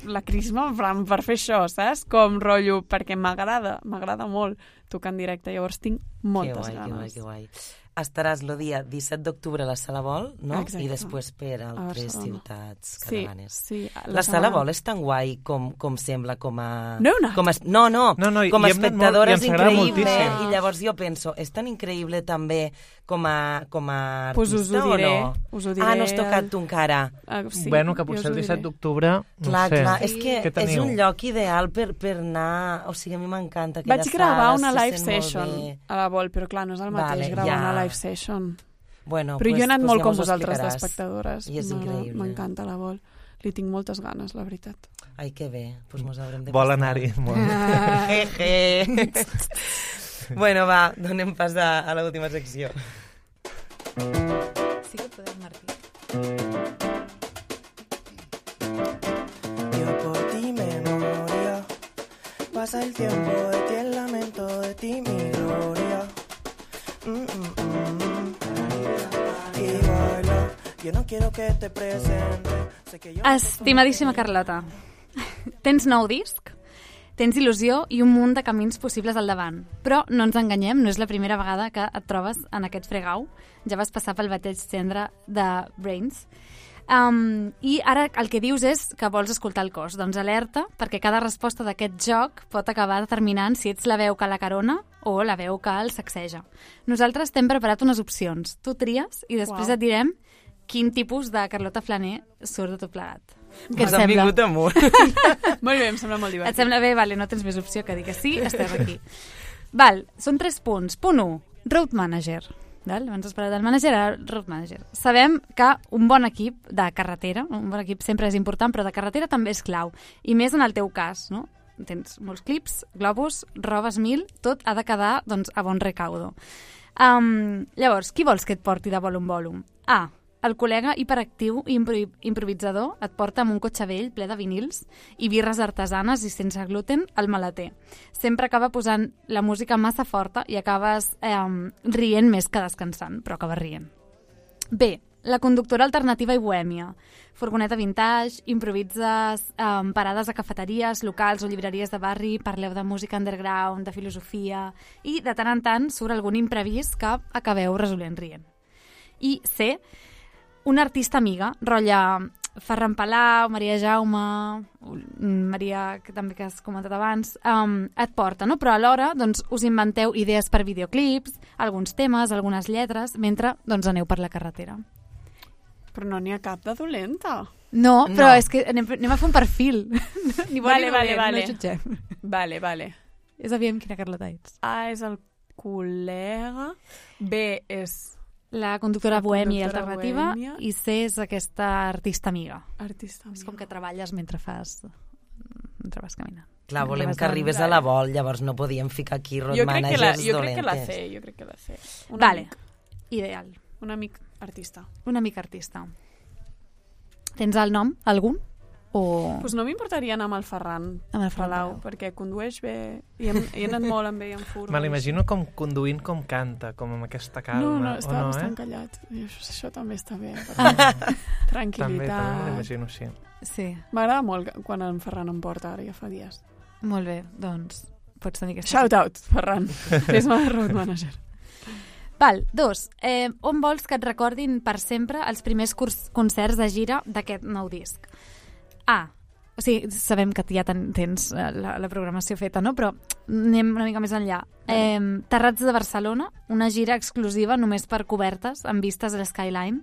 la crisma en plan, per fer això, saps? Com rotllo, perquè m'agrada, m'agrada molt tocar en directe. Llavors tinc moltes que guai, ganes. Que guai, que guai. Estaràs el dia disset d'octubre a la Sala Vol, no? Exacte. I després per altres Barcelona. ciutats Sí, catalanes. sí. La Sala Vol és tan guai com, com sembla com a... No heu anat? Com a, no, no, No, no, com a hi hem anat molt espectadora i és ens agrada increïble. moltíssim. I llavors jo penso, és tan increïble també com a, com a artista Pues us ho diré, o no? us ho diré Ah, no has tocat el- tu encara. Ah, sí, bueno, que jo potser us ho el disset diré. d'octubre, no Clar, sé. clar, és que Què és teniu? un lloc ideal per, per anar... O sigui, a mi m'encanta aquella Vaig gravar sala, una se live sent molt session bé. a la Vol, però clar, no és el mateix Vale, gravar ja. una live session. Bueno, Però pues, jo he anat pues molt ja com mos ho vosaltres explicaràs. d'espectadores. I és M'agrada- increïble. M'encanta la Vol. Li tinc moltes ganes, la veritat. Ai, que bé, doncs pues mos haurem de Vol pastar. anar-hi molt. Jeje. Bueno, va, donem pas a, a l'última secció. Sí que podem, Martí. Yo por ti me moría. Pasa el tiempo de ti, el lamento de ti, mi gloria. Mm, mm, mm. Y baila. Yo no quiero que te presente. Sé que yo no sé Estimadíssima Carlota, tens nou disc, tens il·lusió i un munt de camins possibles al davant. Però no ens enganyem, no és la primera vegada que et trobes en aquest fregau. Ja vas passar pel bateig cendre de Brains. Um, I ara el que dius és que vols escoltar el cos. Doncs alerta, perquè cada resposta d'aquest joc pot acabar determinant si ets la veu que la carona o la veu que el sacseja. Nosaltres t'hem preparat unes opcions. Tu tries i després Uau. et direm quin tipus de Carlota Flaner surt de tot plegat. Què et sembla? Vingut amunt. Molt bé, em sembla molt divertit. Et sembla bé? Vale, no tens més opció que dir que sí, estem aquí. Val, són tres punts. Punt u, Road Manager. Val? Abans has parlat del manager, ara Road Manager. Sabem que un bon equip de carretera, un bon equip sempre és important, però de carretera també és clau. I més en el teu cas, no? Tens molts clips, globus, robes mil, tot ha de quedar doncs, a bon recaudo. Um, llavors, qui vols que et porti de volum volum? A. El col·lega hiperactiu i impro- improvisador et porta amb un cotxe vell ple de vinils i birres artesanes i sense gluten al maleter. Sempre acaba posant la música massa forta i acabes eh, rient més que descansant, però acabes rient. B. La conductora alternativa i bohèmia. Furgoneta vintage, improvises eh, parades a cafeteries, locals o llibreries de barri, parleu de música underground, de filosofia i de tant en tant surt algun imprevist que acabeu resolent rient. I C. Una artista amiga, rotlla Ferran Palau, Maria Jaume, Maria, que també que has comentat abans, um, et porta, no? Però alhora doncs, us inventeu idees per videoclips, alguns temes, algunes lletres, mentre doncs, aneu per la carretera. Però no n'hi ha cap de dolenta. No, però No. és que anem, anem a fer un perfil. Ni bon Vale, ni vale, dolent, vale. no jutgem. Vale, vale. Ja sabíem quina Carlota ets. A és el col·lega, B és La conductora La bohèmia i conductora alternativa bohèmia. i C és aquesta artista amiga. artista És amiga. com que treballes mentre fas... mentre vas caminant. Clar, volem Mentre que vas arribes a la vol, llavors no podíem ficar aquí road Jo crec, que la, managers jo crec que la dolentes. C, jo crec que la C. Un Vale, amic, ideal. un amic artista. Un amic artista. Tens el nom, algun? O... Pues no m'importaria anar amb el Ferran Amb el Ferran Palau, Palau. perquè condueix bé, i hem, he anat molt amb ell en furgos. Me l'imagino com conduint com canta, com amb aquesta calma. No, no, està o no, bastant eh? callat. I això, això també està bé. Ah. perquè També, Tranquil·litat. també me l'imagino així. Sí, M'agrada molt quan en Ferran em porta, ara ja fa dies. molt bé. Doncs pots tenir aquesta... Shout out, Ferran. Fes-me de road manager. Val, dos. Eh, on vols que et recordin per sempre els primers curs, concerts de gira d'aquest nou disc? A. O sigui, sabem que ja ten, tens eh, la, la programació feta, no? Però anem una mica més enllà. Eh, Terrats de Barcelona, una gira exclusiva només per cobertes, amb vistes a l'Skyline,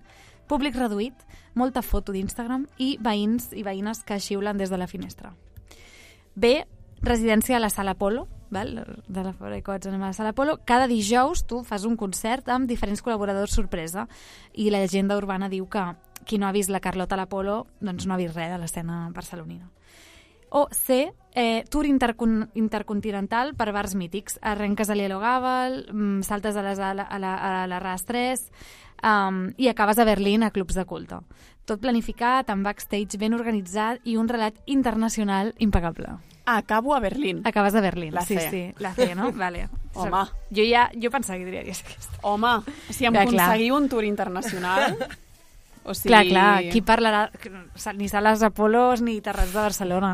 públic reduït, molta foto d'Instagram i veïns i veïnes que xiulen des de la finestra. B. Residència a la Sala Polo, val? De la Fora i Cots anem a la Sala Polo. Cada dijous tu fas un concert amb diferents col·laboradors sorpresa i la llegenda urbana diu que qui no ha vist la Carlota a l'Apolo doncs no ha vist res de l'escena barcelonina. O C, eh, tour intercon intercontinental per bars mítics. Arrenques a l'Ielo Gàbal, mm, saltes a, les, a, la, a, la, a la R A S tres um, i acabes a Berlín a clubs de culte. Tot planificat, amb backstage ben organitzat i un relat internacional impecable. Acabo a Berlín. Acabes a Berlín. La sí, C. sí, la C, no? Vale. Home. Jo ja jo pensava que diries aquesta. Home, si em Ja, clar. aconseguiu un tour internacional... O sigui... Clar, clar, qui parlarà? Ni sales Apolos ni Terrats de Barcelona.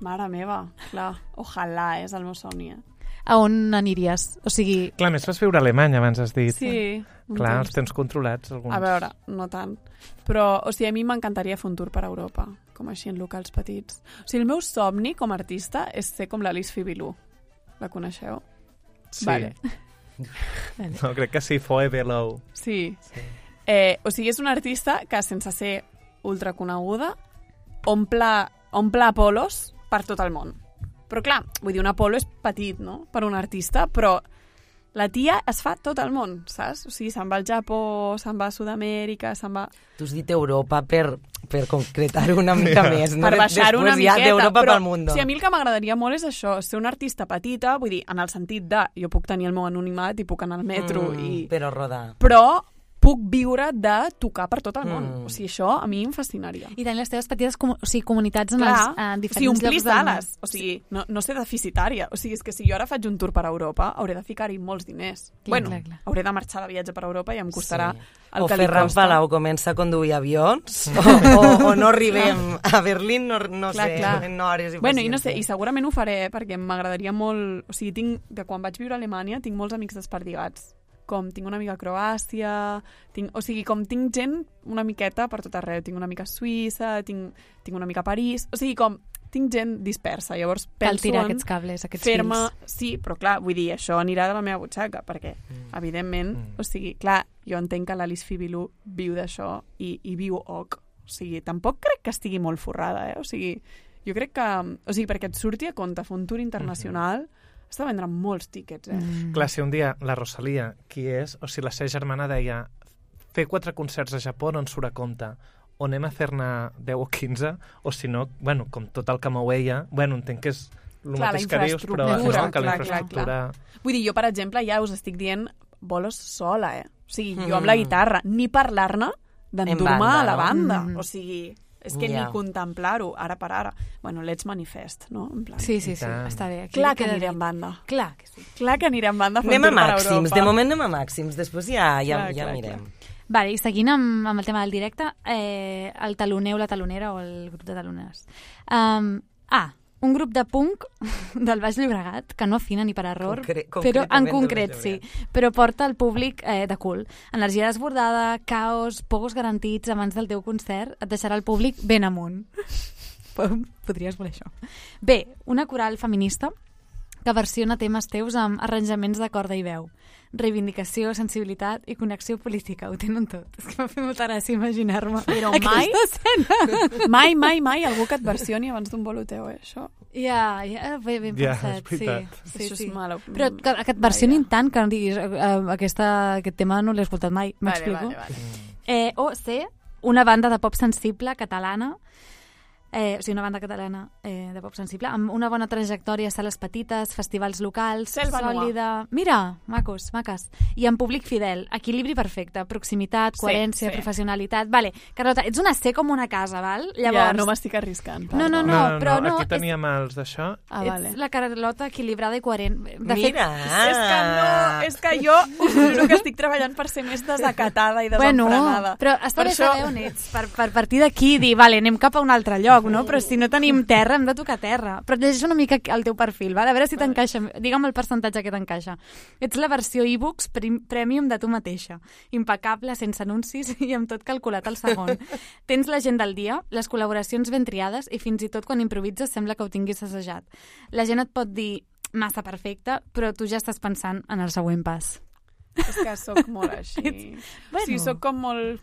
Mare meva, clar. Ojalà, és el meu somni. Eh? A on aniries? O sigui... Clar, més vas viure a Alemanya, abans has dit. Sí. un Clar, temps. els tens controlats, alguns. A veure, no tant. Però, o sigui, a mi m'encantaria fer un tour per Europa, com així en locals petits. O sigui, el meu somni com a artista és ser com l'Alice Fibilú. La coneixeu? Sí. Vale. No, crec que sí, Foe Below. Sí. sí. Eh, o sigui, és una artista que, sense ser ultraconeguda, omple, omple Apolos per tot el món. Però clar, vull dir, un Apolo és petit, no?, per un artista, però la tia es fa tot el món, saps? O sigui, se'n va al Japó, se'n va a Sud-amèrica, se'n va... Tu has dit Europa per, per concretar-ho una mica més, no? Per baixar una Després ja miqueta, d'Europa però pel mundo. si a mi el que m'agradaria molt és això, ser una artista petita, vull dir, en el sentit de jo puc tenir el meu anonimat i puc anar al metro Mm, i... Però rodar. Però puc viure de tocar per tot el món. Mm. O sigui, això a mi em fascinaria. I tenir les teves petites com, o sigui, comunitats en Clar, els eh, o sigui, diferents omplir llocs del món. sales. O sigui, no, no ser deficitària. O sigui, és que si jo ara faig un tour per Europa, hauré de ficar-hi molts diners. Clar, bueno, clar, clar. hauré de marxar de viatge per Europa i em costarà Sí. el O que li Ferran costa. Palau comença a conduir avions, o, o, o no arribem a Berlín, no, no Clar, sé, clar. en hores i Bueno, i no sé, i paciència. segurament ho faré, eh, perquè m'agradaria molt... O sigui, tinc, de quan vaig viure a Alemanya, tinc molts amics desperdigats, com tinc una amiga a Croàcia, tinc, o sigui, com tinc gent una miqueta per tot arreu. Tinc una amiga a Suïssa, tinc, tinc una amiga a París, o sigui, com tinc gent dispersa, llavors Cal penso tirar en aquests cables, aquests fer-me... fils. Sí, però clar, vull dir, això anirà de la meva butxaca, perquè, Mm. evidentment, Mm. o sigui, clar, jo entenc que l'Alice Fibilú viu d'això i, i viu oc. O sigui, tampoc crec que estigui molt forrada, eh? O sigui, jo crec que... O sigui, perquè et surti a compte fer un tour internacional, mm-hmm. està vendre molts tíquets, eh? Mm. Clar, si un dia la Rosalia, qui és, o si la seva germana deia fer quatre concerts a Japó no ens surt a compte, o anem a fer-ne deu o quinze, o si no, bueno, com tot el que mou ella, bueno, entenc que és el Clar, mateix la que dius, però infraestructura, no, que la clar, clar, infraestructura... Vull dir, jo, per exemple, ja us estic dient bolos sola, eh? O sigui, jo Mm. amb la guitarra, ni parlar-ne d'endur-me banda, a la no? banda. Mm. O sigui, és que Ja. ni contemplar-ho, ara per ara. Bueno, Let's Manifest, no? En plan, Sí, sí, sí, tant. està bé. Aquí clar que queda aniré dit. en banda. Clar que sí. Clar que aniré en banda a fer Anem un a tour per màxims, Europa. de moment anem a màxims, després ja, ja, Clar, ja clar, mirem. Vale, i seguint amb, amb el tema del directe, eh, el taloner o la talonera o el grup de taloneres. Um, ah, un grup de punk del Baix Llobregat, que no afina ni per error, Concre- però en concretament del concret Baix sí, però porta el públic eh, de cul. Energia desbordada, caos, pogos garantits abans del teu concert, et deixarà el públic ben amunt. Podries voler això. Bé, una coral feminista que versiona temes teus amb arranjaments de corda i veu. Reivindicació, sensibilitat i connexió política. Ho tenen tot. És que m'ha fet molta gràcia imaginar-me Però mai, aquesta escena. mai, mai, mai algú que et versioni abans d'un bolo teu, eh, això. Ja, ja, ben, ben Ja, pensat, és veritat. sí. Això sí, és sí. malo. Però que, que et versionin tant que no diguis eh, eh, aquesta, aquest tema no l'he escoltat mai, Vale, m'explico? vale, vale. Eh, o C, una banda de pop sensible catalana, eh, o sigui, una banda catalana eh, de pop sensible, amb una bona trajectòria a sales petites, festivals locals, Selva Nua. sòlida... Mira, macos, maques. I amb públic fidel, equilibri perfecte, proximitat, Sí, coherència, sí. professionalitat... Vale, Carlota, ets una C com una casa, val? Ja, no m'estic arriscant. No, no, perdó. no, però no, aquí és- teníem els d'això. Ah, vale. Ets la Carlota equilibrada i coherent. De Mira! És que no, és que jo us juro que estic treballant per ser més desacatada i desenfrenada. Bueno, però està Per bé això- saber on ets, per, per partir d'aquí dir, vale, anem cap a un altre lloc, no? Però si no tenim terra, hem de tocar terra. Però llegeix una mica el teu perfil, vale? A veure si t'encaixa, digue'm el percentatge que t'encaixa. Ets la versió e-books prim- premium de tu mateixa. Impecable, sense anuncis i amb tot calculat al segon. Tens la gent del dia, les col·laboracions ben triades i fins i tot quan improvises sembla que ho tinguis assajat. La gent et pot dir massa perfecta, però tu ja estàs pensant en el següent pas. És que sóc molt així. Bueno. Sí, sóc com molt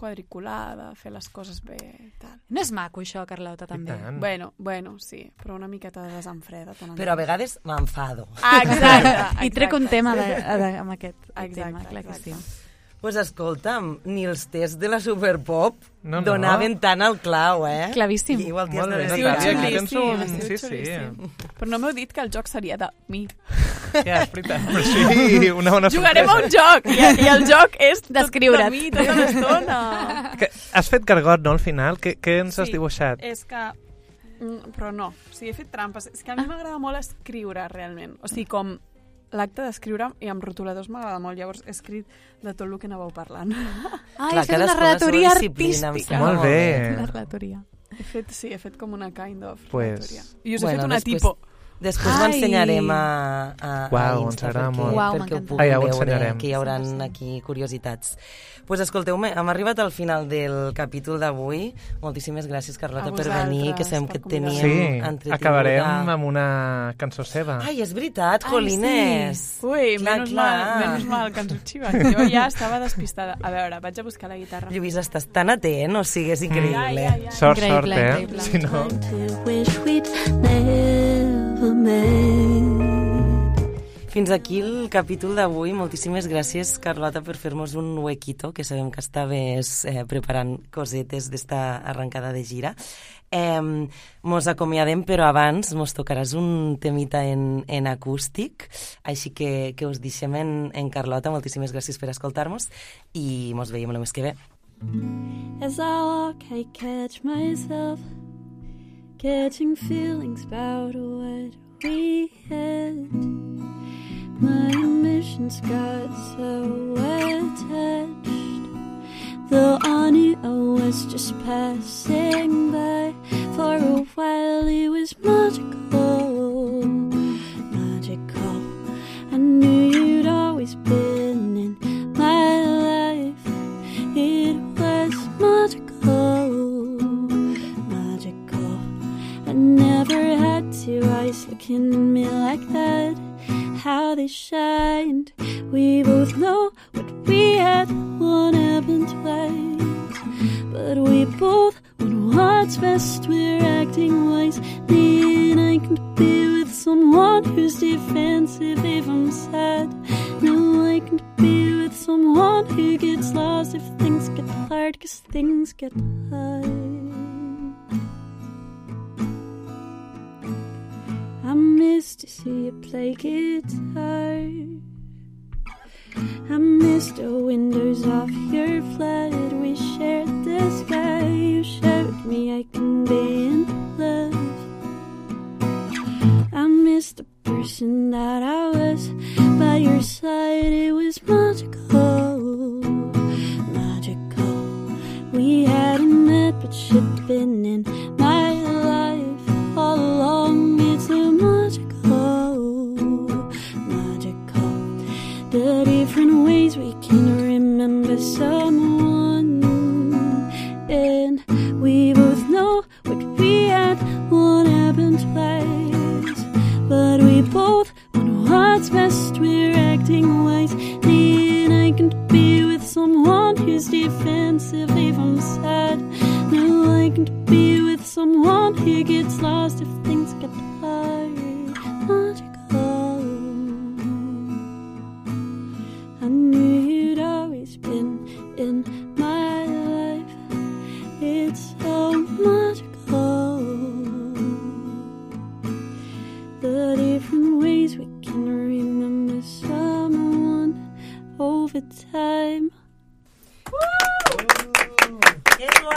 quadriculada, fer les coses bé i tal. No és maco això, Carlota, també. I tant. Bueno, bueno, sí, però una miqueta de desenfreda. tant en Però a tant. vegades m'enfado. Ah, exacte. I trec un exacte. tema de, de, amb aquest Exacte, tema, clar que sí. exacte. Pues escolta'm, ni els tests de la Superpop No, no. donaven tant al clau, eh? Clavíssim. I igual que Molt bé, has de Natàlia, veritat. aquí tens un... xulíssim, Sí, sí. xulíssim. Però no m'heu dit que el joc seria de mi. Ja, és veritat. Però sí, una bona Jugarem a un sorpresa. joc i, i el joc és tot Descriure't. de mi tota l'estona. Que has fet gargot, no, al final? Què, què ens has Sí. dibuixat? És que... Mm, però no, o sigui, he fet trampes. És que a mi m'agrada molt escriure, realment. O sigui, com l'acte d'escriure, i amb rotuladors m'agrada molt. Llavors he escrit de tot el que anàveu parlant. Ah, Clar, has fet una cadascú la seva relatoria disciplina, em artística. sembla Molt bé. Una relatoria. He fet, sí, he fet com una kind of Pues- relatoria. I us he Bueno, fet una després- tipo. Després ho Ai. ensenyarem a, a, Uau, a ens Insta agrada perquè, molt. Uau, perquè ho m'encanta. puguin Ah, ja ho veure, ensenyarem. que hi haurà aquí curiositats. Pues escolteu-me, hem arribat al final del capítol d'avui. Moltíssimes gràcies, Carlota, A per venir, que vosaltres, sabem per que et convidar-me. teníem Sí, entretinguda. acabarem amb una cançó seva. Ai, és veritat, Ai, Jolines. Ui, Clar, menys, clar. mal, menys mal que ens ho xiven. Jo ja estava despistada. A veure, vaig a buscar la guitarra. Lluís, estàs tan atent, o sigui, és increïble. Ja, ja, ja. Sort, Increïble, sort, eh? increïble. Si no... To wish we'd never made. Fins aquí el capítol d'avui. Moltíssimes gràcies, Carlota, per fer-nos un huequito, que sabem que estaves eh, preparant cosetes d'esta arrencada de gira. Eh, mos acomiadem, però abans mos tocaràs un temita en, en acústic, així que, que us deixem en, en Carlota. Moltíssimes gràcies per escoltar-nos i mos veiem el mes que ve. As I walk, I catch myself catching feelings about what we had. My emotions got so attached, though I knew I was just passing by. For a while it was magical, magical. I knew you'd always been best, we're acting wise. Then I can be with someone who's defensive if I'm sad. No, I can be with someone who gets lost if things get hard, 'cause things get hard. I miss to see you play guitar. I miss the windows of your flat. We shared the sky. You showed me I can be in love. I miss the person that I was. By your side it was magical, magical. We hadn't met but she'd been in my life all along. It's so magical, magical. The different ways we can remember someone, and we both know what we had won't happen twice, but we both want what's best. We're acting wise. Then I can be with someone who's defensive if I'm sad. No, I can be with someone who gets lost if things get hard. Magical. I knew you'd always been in my life. It's so magical. The different ways we can remember someone over time. Que guai!